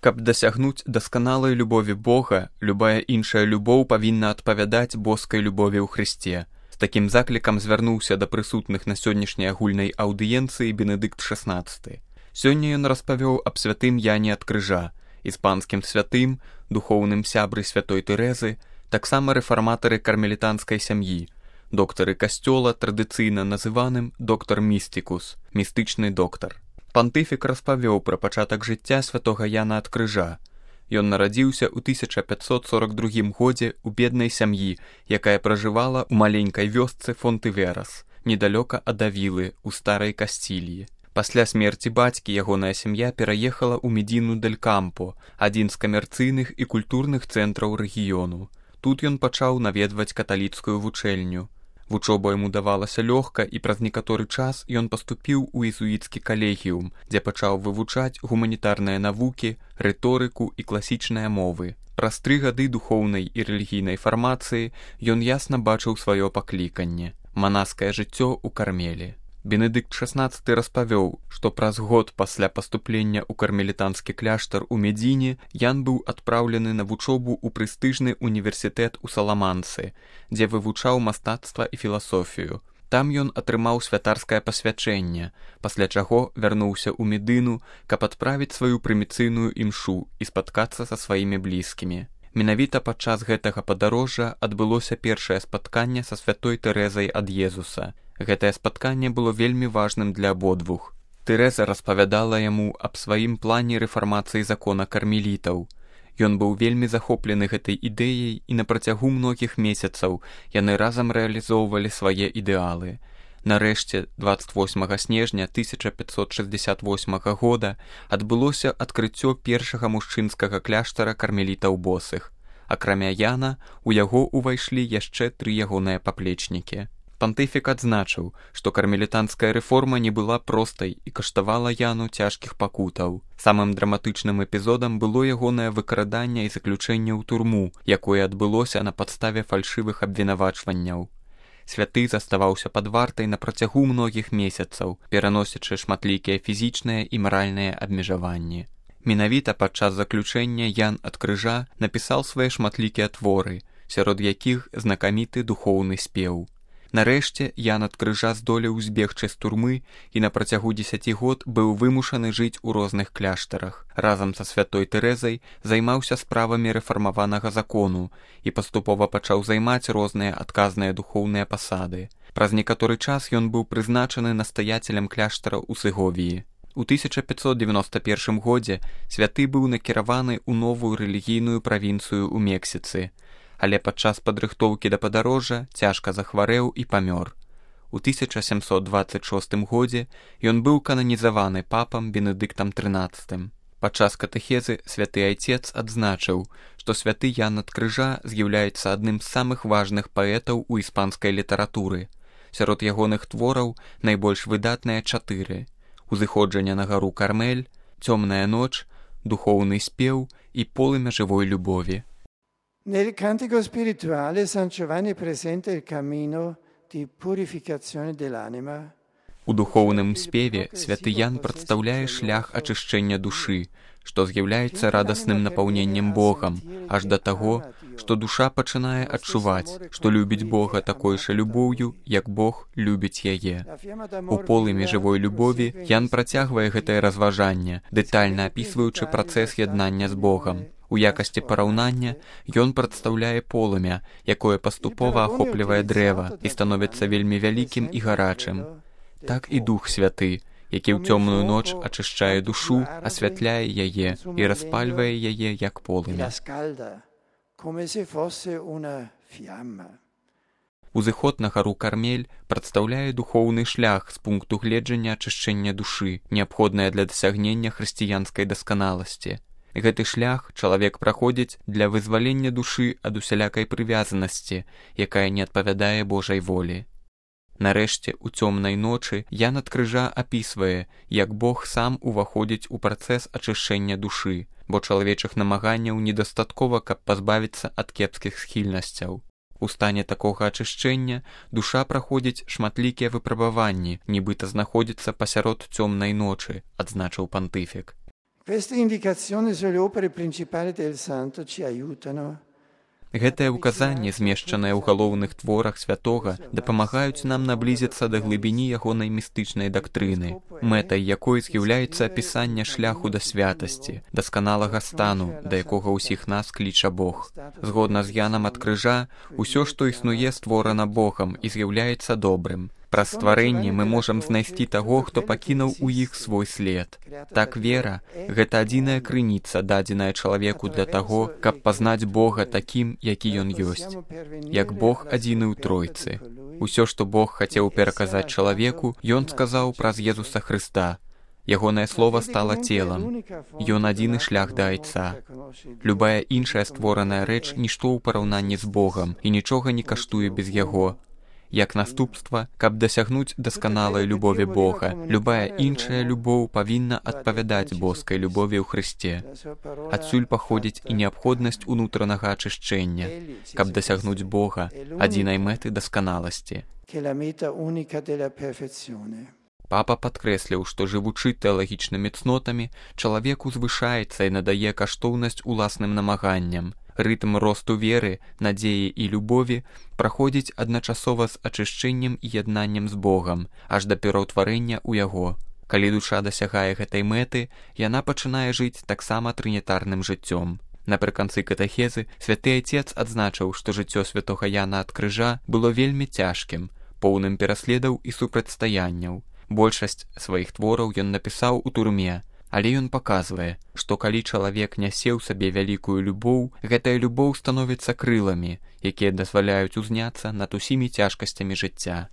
Каб дасягнуць дасканалай любові Бога, любая іншая любоў павінна адпавядаць боскай любові ў Хрысце. З такім заклікам звярнуўся да прысутных на сённяшняй агульнай аўдыенцыі Бенедыкт XVI. Сёння ён распавёў аб святым Яне ад крыжа, іспанскім святым, духоўным сябры святой Тэрэзы, таксама рэфарматары кармелітанскай сям'і, доктары касцёла, традыцыйна называным доктар містыкус, містычны доктар. Пантыфік распавёў пра пачатак жыцця святога Яна ад крыжа. Ён нарадзіўся ў 1542 годзе ў беднай сям'і, якая пражывала ў маленькай вёсцы Фонтыверас, недалёка ад Авілы, у старай Касціліі. Пасля смерці бацькі ягоная сям'я пераехала ў Медіну дель Кампо, адзін з камерцыйных і культурных цэнтраў рэгіёну. Тут ён пачаў наведваць каталіцкую вучэльню. Вучоба яму давалася лёгка, і праз некаторы час ён паступіў у езуіцкі калегіум, дзе пачаў вывучаць гуманітарныя навукі, рыторыку і класічныя мовы. Праз 3 гады духоўнай і рэлігійнай фармацыі ён ясна бачыў сваё пакліканне – манаскае жыццё ў Кармелі. Бенедыкт XVI распавёў, што праз год пасля паступлення ў кармелітанскі кляштар у Медзіне Ян быў адпраўлены на вучобу ў прэстыжны універсітэт у Саламанцы, дзе вывучаў мастацтва і філасофію. Там ён атрымаў святарскае пасвячэнне, пасля чаго вярнуўся ў Медыну, каб адправіць сваю прыміцыйную імшу і спаткацца са сваімі блізкімі. Менавіта падчас гэтага падарожжа адбылося першае спатканне са святой Тэрэзай ад Езуса. Гэтае спатканне было вельмі важным для абодвух. Тэрэза распавядала яму аб сваім плане рэфармацыі закона кармелітаў. Ён быў вельмі захоплены гэтай ідэяй, і на працягу многіх месяцаў яны разам рэалізоўвалі свае ідэалы. Нарэшце, 28 снежня 1568 года адбылося адкрыццё першага мужчынскага кляштара кармелітаў босых. Акрамя Яна, у яго ўвайшлі яшчэ 3 ягоныя паплечнікі. Пантыфік адзначыў, што кармелітанская рэформа не была простай і каштавала Яну цяжкіх пакутаў. Самым драматычным эпізодам было ягонае выкраданне і заключэнне ў турму, якое адбылося на падставе фальшывых абвінавачванняў. Святы заставаўся пад вартай на працягу многіх месяцаў, пераносячы шматлікія фізічныя і маральныя абмежаванні. Менавіта падчас заключэння Ян ад крыжа напісаў свае шматлікія творы, сярод якіх знакаміты духоўны спеў. Нарэшце, Ян ад крыжа здолеў збегчы з турмы і на працягу 10 год быў вымушаны жыць у розных кляштарах. Разам са святой Тэрэзай займаўся справамі рэфармаванага закону і паступова пачаў займаць розныя адказныя духоўныя пасады. Праз некаторы час ён быў прызначаны настаяцелем кляштара ў Сеговіі. У 1591 годзе святы быў накіраваны ў новую рэлігійную правінцыю ў Мексіцы, але падчас падрыхтоўкі да падарожжа цяжка захварэў і памёр. У 1726 годзе ён быў кананізаваны папам Бенедыктам XIII. Падчас катэхезы святы айцец адзначыў, што святы Ян ад крыжа з'яўляецца адным з самых важных паэтаў у іспанскай літаратуры. Сярод ягоных твораў найбольш выдатныя 4: «Узыходжанне на гару Кармель», «Цёмная ноч», «Духоўны спеў» і «Полымя жывой любові». Nel cantico spirituale San Giovanni presenta il cammino di purificazione dell'anima. У духоўным спеве святы Ян прадстаўляе шлях ачышчэння душы, што з'яўляецца радасным напаўненнем Богам, аж да таго, што душа пачынае адчуваць, што любіць Бога такой жа любоўю, як Бог любіць яе. У полымі жывой любові Ян працягвае гэтае разважанне, дэтальна апісваючы працэс яднання з Богам. У якасці параўнання ён прадстаўляе полымя, якое паступова ахоплівае дрэва і становіцца вельмі вялікім і гарачым. Так і Дух Святы, які ў цёмную ноч ачышчае душу, асвятляе яе і распальвае яе як полымя. Узыход на гару Кармель прадстаўляе духоўны шлях з пункту гледжання ачышчэння душы, неабходнае для дасягнення хрысціянскай дасканаласці. Гэты шлях чалавек праходзіць для вызвалення душы ад усялякай прывязанасці, якая не адпавядае Божай волі. Нарэшце, у цёмнай ночы Ян ад крыжа апісвае, як Бог сам уваходзіць у працэс ачышчэння душы, бо чалавечых намаганняў недастаткова, каб пазбавіцца ад кепскіх схільнасцяў. У стане такога ачышчэння душа праходзіць шматлікія выпрабаванні, нібыта знаходзіцца пасярод цёмнай ночы, адзначыў пантыфік. Queste indicazioni sulle opere principali del santo ci aiutano. Гэтыя ўказанні, змешчаныя ў галоўных творах святога, дапамагаюць нам наблізіцца да глыбіні ягонай містычнай дактрыны, мэтай якой з'яўляецца апісанне шляху да святасці, дасканалага стану, да якога ўсіх нас кліча Бог. Згодна з Янам ад крыжа, усё, што існуе, створана Богам і з'яўляецца добрым. Праз стварэнне мы можам знайсці таго, хто пакінуў у іх свой след. Так вера – гэта адзіная крыніца, дадзеная чалавеку для таго, каб пазнаць Бога такім, які ён ёсць. Як Бог адзіны ў Тройцы. Усё, што Бог хацеў пераказаць чалавеку, ён сказаў праз Езуса Хрыста. Ягонае слова стала целам. Ён адзіны шлях да Айца. Любая іншая створаная рэч – нішто ў параўнанні з Богам і нічога не каштуе без Яго. Як наступства, каб дасягнуць дасканалай любові Бога, любая іншая любоў павінна адпавядаць боскай любові ў Хрысце. Адсюль паходзіць і неабходнасць унутранага ачышчэння, каб дасягнуць Бога, адзінай мэты дасканаласці. Папа падкрэсліў, што жывучы тэалагічнымі цнотамі, чалавек узвышаецца і надае каштоўнасць уласным намаганням. Рытм росту веры, надзеі і любові праходзіць адначасова з ачышчэннем і яднаннем з Богам, аж да пераўтварэння ў Яго. Калі душа дасягае гэтай мэты, яна пачынае жыць таксама трынітарным жыццём. Напрыканцы катэхезы святы Айцец адзначыў, што жыццё святога Яна ад крыжа было вельмі цяжкім, поўным пераследаў і супрацьстаянняў. Большасць сваіх твораў ён напісаў у турме, але ён паказвае, што калі чалавек нясе ў сабе вялікую любоў, гэтая любоў становіцца крыламі, якія дазваляюць узняцца над усімі цяжкасцямі жыцця.